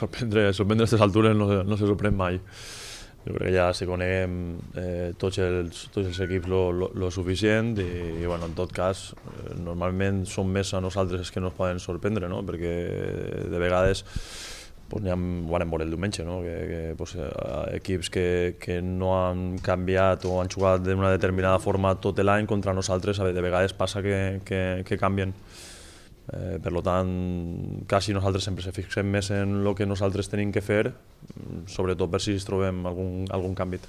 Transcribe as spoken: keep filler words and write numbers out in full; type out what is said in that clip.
sorprendre, sorprendre a aquestes altures no, no se sorprèn mai. Jo crec que ja si coneguem eh, tots, els, tots els equips lo, lo, lo suficient i, i bueno, en tot cas eh, normalment són més a nosaltres els que no es poden sorprendre, no? Perquè de vegades pues, ha, ho vam veure el diumenge, no? que, que pues, equips que, que no han canviat o han jugat d'una determinada forma tot l'any contra nosaltres, de vegades passa que, que, que canvien. Eh, per tant, quasi nosaltres sempre se fixem més en el que nosaltres tenim que fer, sobretot per si trobem algun, algun canvi.